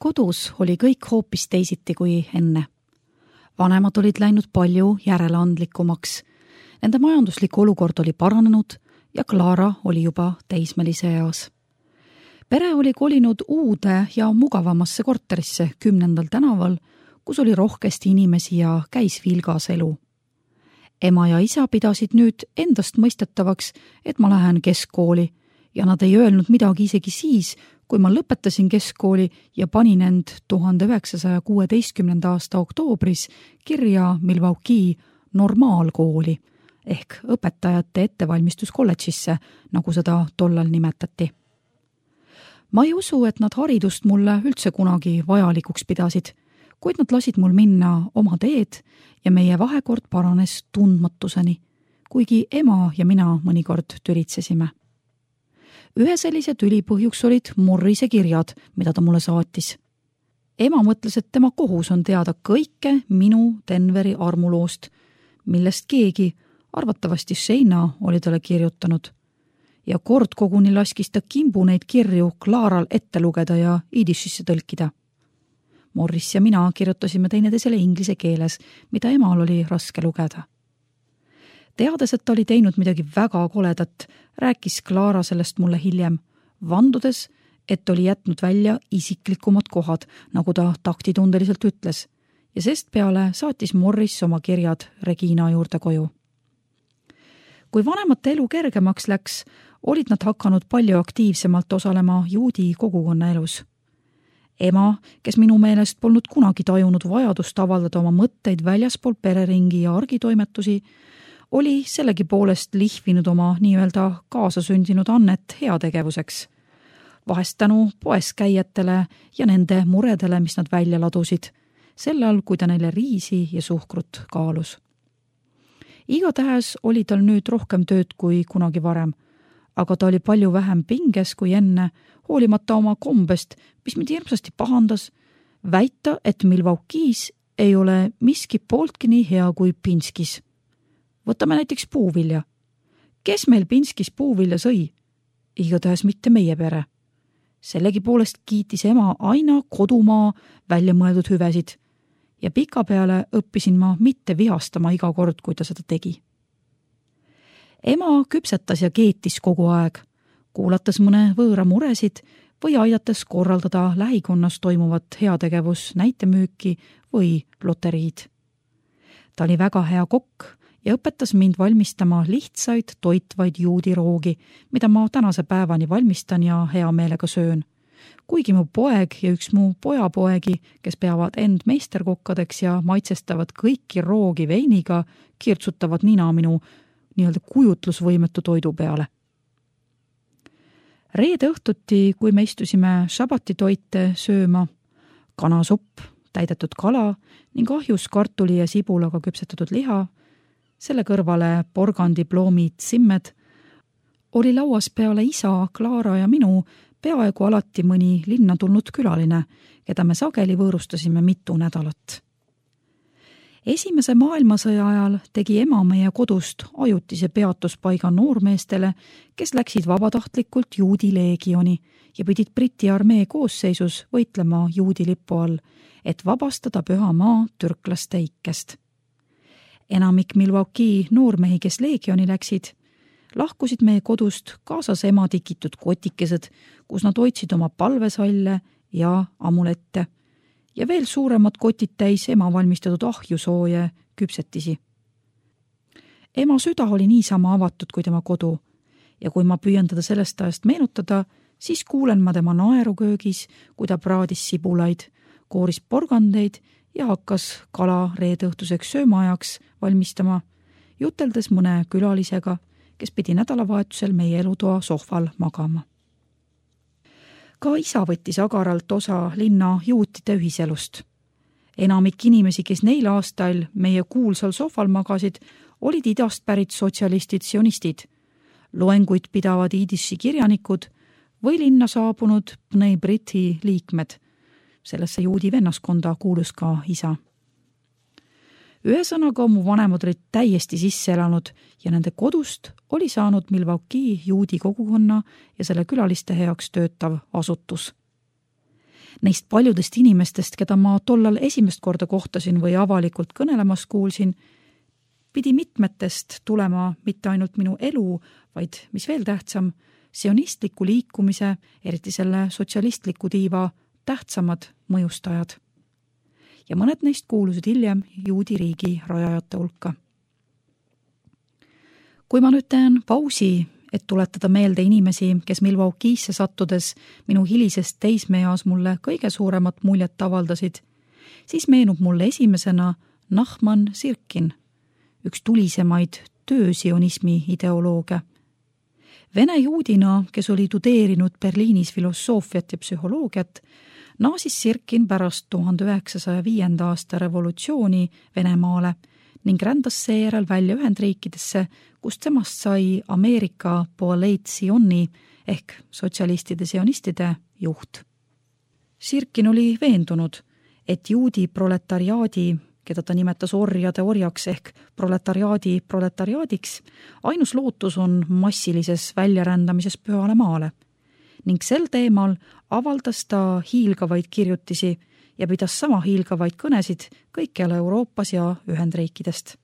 kodus oli kõik hoopis teisiti kui enne. Vanemad olid läinud palju järeleandlikumaks. Nende majanduslik olukord oli paranenud ja Clara oli juba teismelise eas. Pere oli kolinud uude ja mugavamasse korterisse 10. tänaval, kus oli rohkesti inimesi ja käis vilgas elu. Ema ja isa pidasid nüüd endast mõistetavaks, et ma lähen keskkooli ja nad ei öelnud midagi isegi siis, kui ma lõpetasin keskkooli ja panin end 1916. aasta oktoobris kirja Milwaukee normaalkooli ehk õpetajate ettevalmistuskolledžisse, nagu seda tollal nimetati. Ma ei usu, et nad haridust mulle üldse kunagi vajalikuks pidasid, kuid nad lasid mul minna oma teed ja meie vahekord paranes tundmatuseni, kuigi ema ja mina mõnikord tülitsesime. Ühe sellise tüli põhjuks olid Morrise kirjad, mida ta mulle saatis. Ema mõtles, et tema kohus on teada kõike minu Denveri armuloost, millest keegi, arvatavasti Shayna, oli talle kirjutanud. Ja kord koguni laskis ta kimbu neid kirju Claral ette lugeda ja iidishisse tõlkida. Morris ja mina kirjutasime teineteisele inglise keeles, mida emal oli raske lugeda. Teades, et ta oli teinud midagi väga koledat, rääkis Clara sellest mulle hiljem, vandudes, et oli jätnud välja isiklikumad kohad, nagu ta taktitundeliselt ütles, ja sest peale saatis Morris oma kirjad Regina juurde koju. Kui vanemate elu kergemaks läks, olid nad hakanud palju aktiivsemalt osalema juudi kogukonna elus. Ema, kes minu meelest polnud kunagi tajunud vajadust avaldada oma mõtteid väljaspool pereringi ja argitoimetusi, oli sellegi poolest lihvinud oma nii-öelda kaasasündinud annet heategevuseks. Vahest tänu poes käijatele ja nende muredele, mis nad välja ladusid, sellal, kui ta neile riisi ja suhkrut kaalus. Igatahes oli tal nüüd rohkem tööd kui kunagi varem, aga ta oli palju vähem pinges kui enne, hoolimata oma kombest, mis mind hirmsasti pahandas, väita, et Milwaukee's ei ole miski pooltki nii hea kui Pinskis. Võtame näiteks puuvilja. Kes meil Pinskis puuvilja sõi? Igatahes mitte meie pere. Sellegi poolest kiitis ema aina kodumaa välja mõeldud hüvesid ja pikapeale õppisin ma mitte vihastama iga kord, kui ta seda tegi. Ema küpsetas ja keetis kogu aeg, kuulates mõne võõra muresid või aidates korraldada lähikonnas toimuvat heategevus näitemüüki või loteriid. Ta oli väga hea kokk ja õpetas mind valmistama lihtsaid toitvaid juudiroogi, mida ma tänase päevani valmistan ja hea meelega söön. Kuigi mu poeg ja üks mu pojapoegi, kes peavad end meisterkokkadeks ja maitsestavad kõiki roogi veiniga, kirtsutavad nina minu nii-öelda kujutlusvõimetu toidu peale. Reede õhtuti, kui me istusime šabatitoite sööma, kanasupp, täidetud kala ning ahjus kartuli ja sibulaga küpsetatud liha, selle kõrvale porgandiploomid simmed, oli lauas peale isa, Clara ja minu peaaegu alati mõni linna tulnud külaline, keda me sageli võõrustasime mitu nädalat. Esimese maailmasõja ajal tegi ema meie kodust ajutise peatuspaiga noormeestele, kes läksid vabatahtlikult juudi leegioni ja pidid Briti armee koosseisus võitlema juudi lipu all, et vabastada püha maa türklaste ikkest. Enamik Milwaukee noormehi, kes leegioni läksid, lahkusid meie kodust kaasas ema tikitud kotikesed, kus nad hoidsid oma palvesalle ja amulette ja veel suuremad kotid täis ema valmistatud ahjusooje küpsetisi. Ema süda oli niisama avatud kui tema kodu ja kui ma püüan teda sellest ajast meenutada, siis kuulen ma tema naeru köögis, kui ta praadis sibulaid, kooris porgandeid ja hakkas kala reedeõhtuseks söömaajaks valmistama, juteldes mõne külalisega, kes pidi nädalavahetusel meie elutoa sohval magama. Ka isa võttis agaralt osa linna juutide ühiselust. Enamik inimesi, kes neil aastail meie kuulsal sohval magasid, olid idast pärit sotsialistid, sionistid, loenguid pidavad iidishi kirjanikud või linna saabunud Bnei Briti liikmed. Sellesse juudi vennaskonda kuulus ka isa. Ühesõnaga mu vanemad olid täiesti sisse elanud ja nende kodust oli saanud Milwaukee juudi kogukonna ja selle külaliste heaks töötav asutus. Neist paljudest inimestest, keda ma tollal esimest korda kohtasin või avalikult kõnelemas kuulsin, pidi mitmetest tulema mitte ainult minu elu, vaid, mis veel tähtsam, sionistliku liikumise, eriti selle sotsialistliku tiiva tähtsamad mõjustajad. Ja mõned neist kuulusid hiljem juudi riigi rajajate hulka. Kui ma nüüd teen pausi, et tuletada meelde inimesi, kes Milwaukee'sse sattudes minu hilisest teismeeas mulle kõige suuremat muljet avaldasid, siis meenub mulle esimesena Nachman Sirkin, üks tulisemaid töösionismi ideoloogia. Vene juudina, kes oli tudeerinud Berliinis filosoofiat ja psühholoogiat, naasis Sirkin pärast 1905. aasta revolutsiooni Venemaale ning rändas seejärel välja Ühendriikidesse, kust temast sai Ameerika Poaleit Sioni ehk sotsialistide sionistide juht. Sirkin oli veendunud, et juudi proletariaadi, keda ta nimetas orjade orjaks ehk proletariaadi proletariaadiks, ainus lootus on massilises väljarändamises pühale maale ning sel teemal avaldas ta hiilgavaid kirjutisi ja pidas sama hiilgavaid kõnesid kõikjal Euroopas ja Ühendriikidest.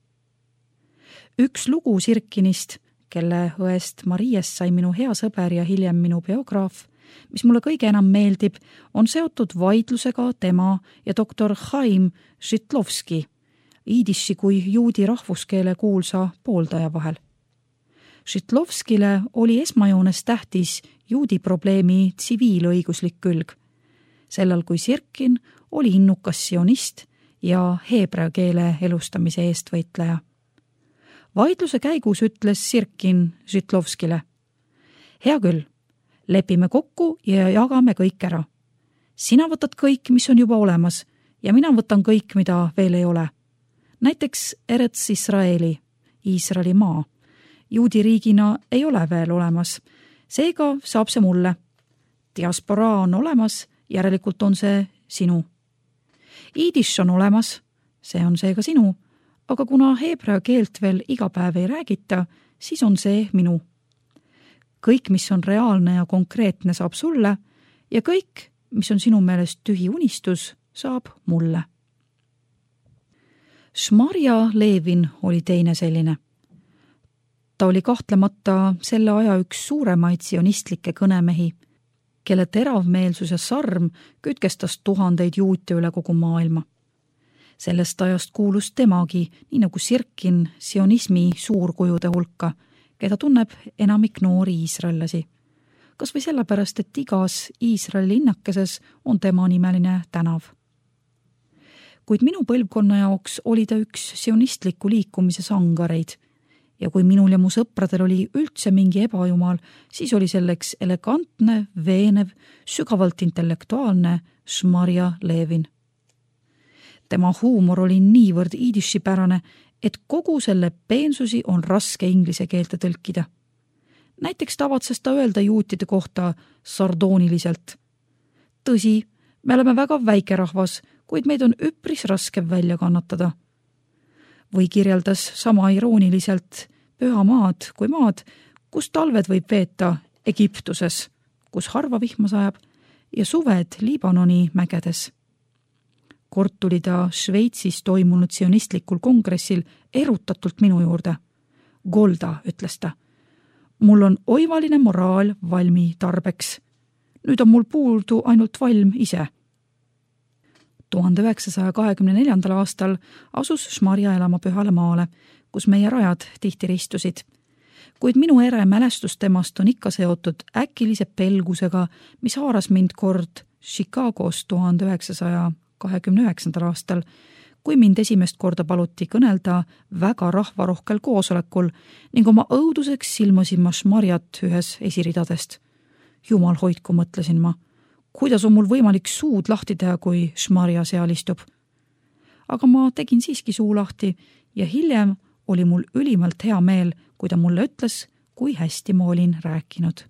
Üks lugu Sirkinist, kelle õest Mariest sai minu hea sõber ja hiljem minu biograaf, mis mulle kõige enam meeldib, on seotud vaidlusega tema ja doktor Chaim Žitlovski, iidisši kui juudi rahvuskeele kuulsa pooldaja vahel. Žitlovskile oli esmajoones tähtis juudi probleemi tsiviilõiguslik külg, sellal kui Sirkin oli innukas sionist ja heebrea keele elustamise eestvõitleja. Vaidluse käigus ütles Sirkin Žitlovskile: hea küll, lepime kokku ja jagame kõik ära. Sina võtad kõik, mis on juba olemas, ja mina võtan kõik, mida veel ei ole. Näiteks Eretz Israeli, Iisraeli maa. Juudi riigina ei ole veel olemas, seega saab see mulle. Diasporaa on olemas, järelikult on see sinu. Iidiš on olemas, see on seega sinu, aga kuna heebrea keelt veel iga päev ei räägita, siis on see minu. Kõik, mis on reaalne ja konkreetne, saab sulle ja kõik, mis on sinu meelest tühi unistus, saab mulle. Šmarja Levin oli teine selline. Ta oli kahtlemata selle aja üks suuremaid sionistlikke kõnemehi, kelle teravmeelsus ja sarm kütkestas tuhandeid juute üle kogu maailma. Sellest ajast kuulus temagi, nii nagu Sirkin, sionismi suurkujude hulka, keda tunneb enamik noori iisraellasi. Kas või sellepärast, et igas Iisraeli linnakeses on tema nimeline tänav. Kuid minu põlvkonna jaoks oli ta üks sionistliku liikumise sangareid ja kui minul ja mu sõpradel oli üldse mingi ebajumal, siis oli selleks elegantne, veenev, sügavalt intellektuaalne Šmarja Levin. Tema huumor oli niivõrd iidishipärane, et kogu selle peensusi on raske inglise keelte tõlkida. Näiteks tavatses ta öelda juutide kohta sardooniliselt: tõsi, me oleme väga väike rahvas, kuid meid on üpris raske välja kannatada. Või kirjeldas sama irooniliselt pühamaad kui maad, kus talved võib veeta Egiptuses, kus harva vihma sajab, ja suved Liibanoni mägedes. Kord tuli ta Šveitsis toimunud sionistlikul kongressil erutatult minu juurde. Golda, ütles ta. Mul on oivaline moraal valmi tarbeks. Nüüd on mul puudu ainult valm ise. 1924. aastal asus Šmarja elama Pühale maale, kus meie rajad tihti ristusid. Kuid minu ere mälestus temast on ikka seotud äkilise pelgusega, mis haaras mind kord Chicagos 1929. aastal, kui mind esimest korda paluti kõnelda väga rahvarohkel koosolekul ning oma õuduseks silmasin ma Šmarjat ühes esiridadest. Jumal hoidku, mõtlesin ma. Kuidas on mul võimalik suud lahti teha, kui Šmarja seal istub? Aga ma tegin siiski suu lahti ja hiljem oli mul ülimalt hea meel, kui ta mulle ütles, kui hästi ma olin rääkinud.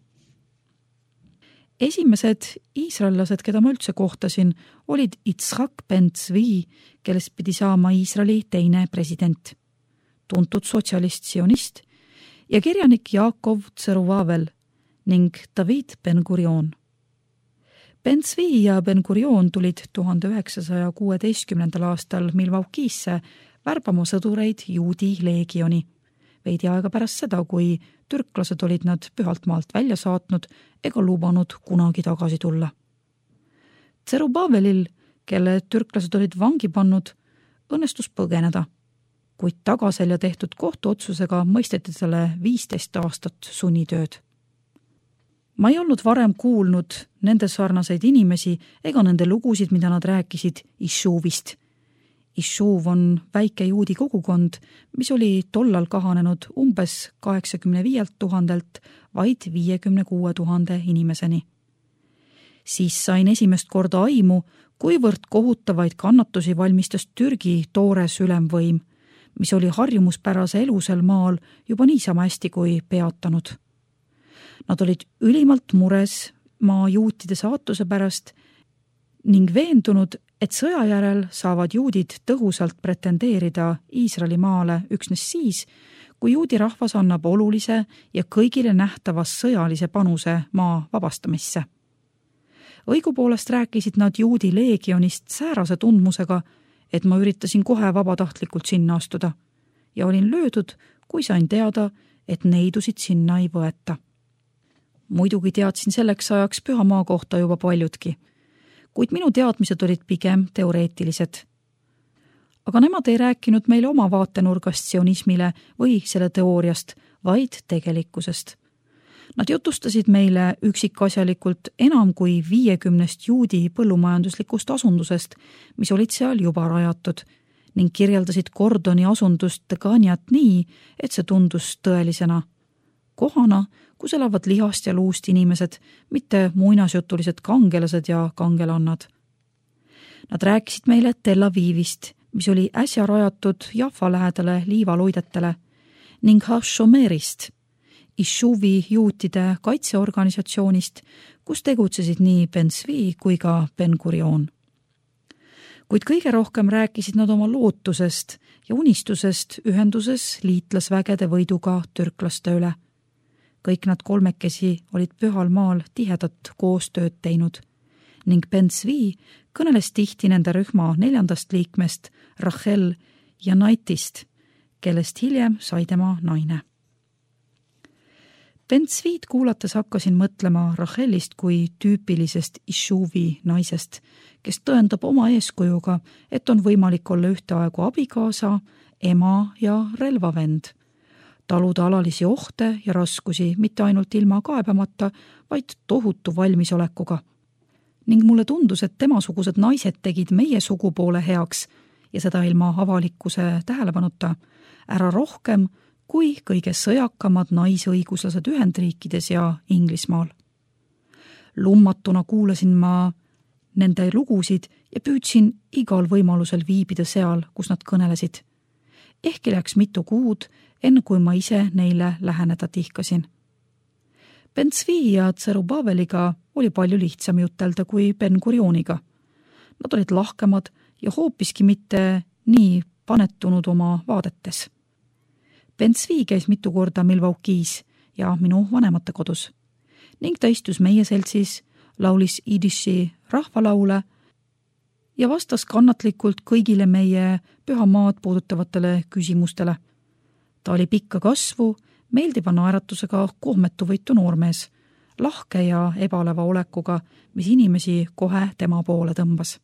Esimesed iisraellased, keda ma üldse kohtasin, olid Yitzhak ben Tzvi, kellest pidi saama Iisraeli teine president, tuntud sotsialist-sionist ja kirjanik Jaakov Tseruvavel ning David Ben-Gurion. Ben Zvi ja Ben Gurion tulid 1916. aastal Milwaukee'sse värbama sõdureid juudi leegioni. Veidi aega pärast seda, kui türklased olid nad pühalt maalt välja saatnud ega lubanud kunagi tagasi tulla. Zerubavelil, kelle türklased olid vangi pannud, õnnestus põgeneda, kuid tagaselja tehtud kohtuotsusega mõisteti talle 15 aastat sunnitööd. Ma ei olnud varem kuulnud nende sarnaseid inimesi ega nende lugusid, mida nad rääkisid Ishuvist. Ishuv on väike juudi kogukond, mis oli tollal kahanenud umbes 85 000 vaid 56 000 inimeseni. Siis sain esimest korda aimu, kuivõrd kohutavaid kannatusi valmistas Türgi toores ülemvõim, mis oli harjumuspärase elu sel maal juba niisama hästi kui peatanud. Nad olid ülimalt mures maa juutide saatuse pärast ning veendunud, et sõja järel saavad juudid tõhusalt pretendeerida Iisraeli maale üksnes siis, kui juudi rahvas annab olulise ja kõigile nähtavas sõjalise panuse maa vabastamisse. Õigupoolest rääkisid nad juudi leegionist säärase tundmusega, et ma üritasin kohe vabatahtlikult sinna astuda ja olin löödud, kui sain teada, et neidusid sinna ei võeta. Muidugi teadsin selleks ajaks pühamaa kohta juba paljudki, kuid minu teadmised olid pigem teoreetilised. Aga nemad ei rääkinud meile oma vaatenurgast sionismile või selle teooriast, vaid tegelikkusest. Nad jutustasid meile üksikasjalikult enam kui 50 juudi põllumajanduslikust asundusest, mis olid seal juba rajatud, ning kirjeldasid Gordoni asundust Teganiat nii, et see tundus tõelisena. Kohana, kus elavad lihast ja luust inimesed, mitte muinasjutulised kangelased ja kangelannad. Nad rääkisid meile Tel Avivist, mis oli äsja rajatud Jaffa lähedale liivaluidetele, ning Hashomerist, Ishuvi juutide kaitseorganisatsioonist, kus tegutsesid nii Ben Zvi kui ka Ben Gurion. Kuid kõige rohkem rääkisid nad oma lootusest ja unistusest ühenduses liitlasvägede võiduga türklaste üle. Kõik nad kolmekesi olid pühal maal tihedat koostööd teinud ning Ben Zvi kõneles tihti nende rühma 4. liikmest Rachel ja Naitist, kellest hiljem sai tema naine. Ben Zvit kuulates hakkasin mõtlema Rachelist kui tüüpilisest Ishuvi naisest, kes tõendab oma eeskujuga, et on võimalik olla ühteaegu abikaasa, ema ja relvavend. Taluda alalisi ohte ja raskusi mitte ainult ilma kaebamata, vaid tohutu valmisolekuga. Ning mulle tundus, et temasugused naised tegid meie sugupoole heaks ja seda ilma avalikkuse tähelepanuta ära rohkem kui kõige sõjakamad naisõiguslased Ühendriikides ja Inglismaal. Lummatuna kuulasin ma nende lugusid ja püüdsin igal võimalusel viibida seal, kus nad kõnelesid. Ehkki läks mitu kuud, enne kui ma ise neile läheneda tihkasin. Ben Zvi ja Zerubabeliga oli palju lihtsam jutelda kui Ben Gurioniga. Nad olid lahkemad ja hoopiski mitte nii panetunud oma vaadetes. Ben Zvi käis mitu korda Milwaukee's ja minu vanemate kodus ning ta istus meie seltsis, laulis idiši rahvalaule ja vastas kannatlikult kõigile meie pühamaad puudutavatele küsimustele. Ta oli pikka kasvu, meeldiva naeratusega kohmetuvõitu noormees, lahke ja ebaleva olekuga, mis inimesi kohe tema poole tõmbas.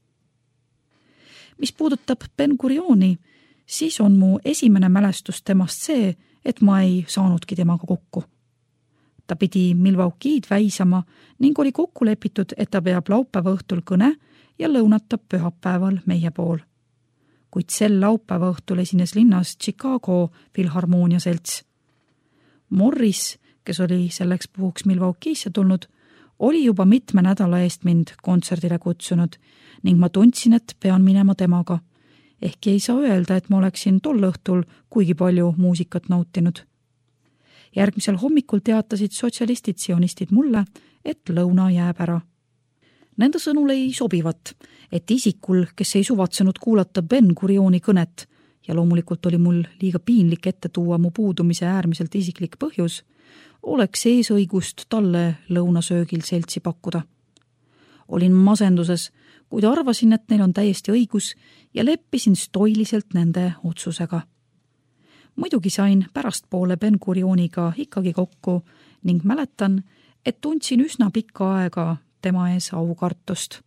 Mis puudutab Ben Gurioni, siis on mu esimene mälestus temast see, et ma ei saanudki temaga kokku. Ta pidi Milwaukee'd väisama ning oli kokku lepitud, et ta peab laupäeva õhtul kõne ja lõunatab pühapäeval meie pool. Kuid sel laupäeva õhtul esines linnas Chicago Filharmoonia selts. Morris, kes oli selleks puhuks Milwaukee'sse tulnud, oli juba mitme nädala eest mind kontserdile kutsunud ning ma tundsin, et pean minema temaga. Ehkki ei saa öelda, et ma oleksin tol õhtul kuigi palju muusikat nautinud. Järgmisel hommikul teatasid sotsialistid-sionistid mulle, et lõuna jääb ära. Nende sõnul ei sobivat, et isikul, kes ei suvatsenud kuulata Ben Gurioni kõnet ja loomulikult oli mul liiga piinlik ette tuua mu puudumise äärmiselt isiklik põhjus, oleks eesõigust talle lõunasöögil seltsi pakkuda. Olin masenduses, kuid arvasin, et neil on täiesti õigus ja leppisin stoiliselt nende otsusega. Muidugi sain pärastpoole Ben-Gurioniga ikkagi kokku ning mäletan, et tundsin üsna pikka aega tema ees aukartust.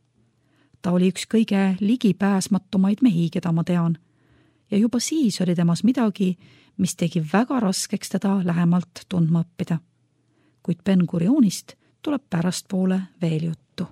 Ta oli üks kõige ligipääsmatumaid mehi, keda ma tean, ja juba siis oli temas midagi, mis tegi väga raskeks teda lähemalt tundma õppida. Kuid Ben-Gurionist tuleb pärastpoole veel juttu.